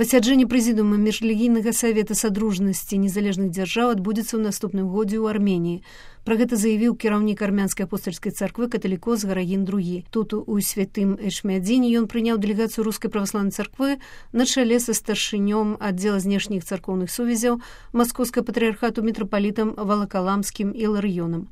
Пасяджэнне прэзідыума міжрэлігійнага савета садружнасці незалежных дзяржаў адбудзецца ў наступным годзе ў Арменіі. Пра гэта заявіў кіраўнік армянскай апостальскай царквы каталікос Гарагін II. Тут у святым Эчмиадзіне ён прыняў дэлегацыю рускай праваслаўнай царквы на чале са старшынём аддзела знешніх царкоўных сувязяў Маскоўскага патрыархату мітрапалітам Валакаламскім і Ларыёнам.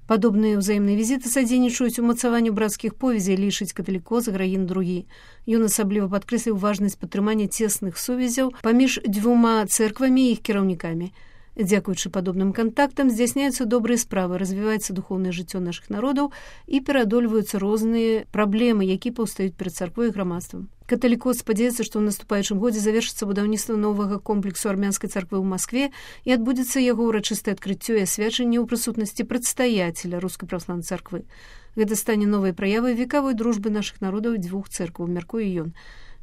Падобныя ўзаемныя візіты садзейнічаюць умацаванню брацкіх повязей, лічыць каталікос Гарагін II. Ён асабліва падкрэсліў важнасць падтрымання цесных сувязяў паміж дзвюма цэрквамі і іх кіраўнікамі. Дзякуючы падобным кантактам здзяйсняюцца добрыя справы, развіваецца духоўнае жыццё нашых народаў і пераадольваюцца розныя праблемы, якія паўстаюць перад царквой і грамадствам. Каталікос спадзяецца, што ў наступаючым годзе завершыцца будаўніцтва новага комплексу армянскай царквы ў Маскве і адбудзецца яго ўрачыстае адкрыццё і асвячэнне ў прысутнасці прадстаяцеля рускай праваслаўнай царквы. Гэта стане новай праявай векавой дружбы нашых народаў і дзвюх цэркваў, мяркуе ён.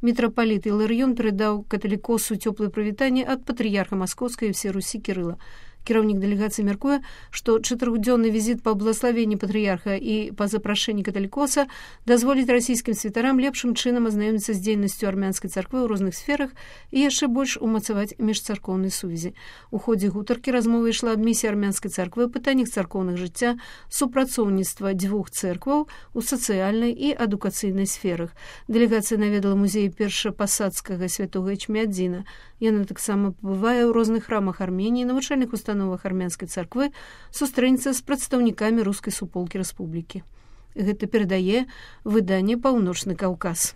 Мітрапаліт Іларыён перадаў каталікосу цёплае прывітанне ад патрыярха Маскоўскай і ўсёй Русі Кірыла. Кіраўнік дэлегацыі мяркуе, што 4-дзённы візіт па благаславенні патрыярха і па запрашэнні каталікоса дазволіць расійскім святарам лепшым чынам азнаёміцца з дзейнасцю армянскай царквы ў розных сферах і яшчэ больш умацаваць міжцаркоўнай сувязі. У ходзе гутаркі размова ішла аб місіі армянскай царквы, пытаннях царкоўных жыцця, супрацоўніцтва дзвюх цэркваў у сацыяльнай і адукацыйнай сферах. Дэлегацыя наведала музей першапасадскага святога Эчмиадзіна. Яна таксама пабывае ў розных храмах Арменіі, навучальных установах армянскай царквы, сустрэнецца з прадстаўнікамі рускай суполкі рэспублікі. Гэта перадае выданне «Паўночны Каўказ».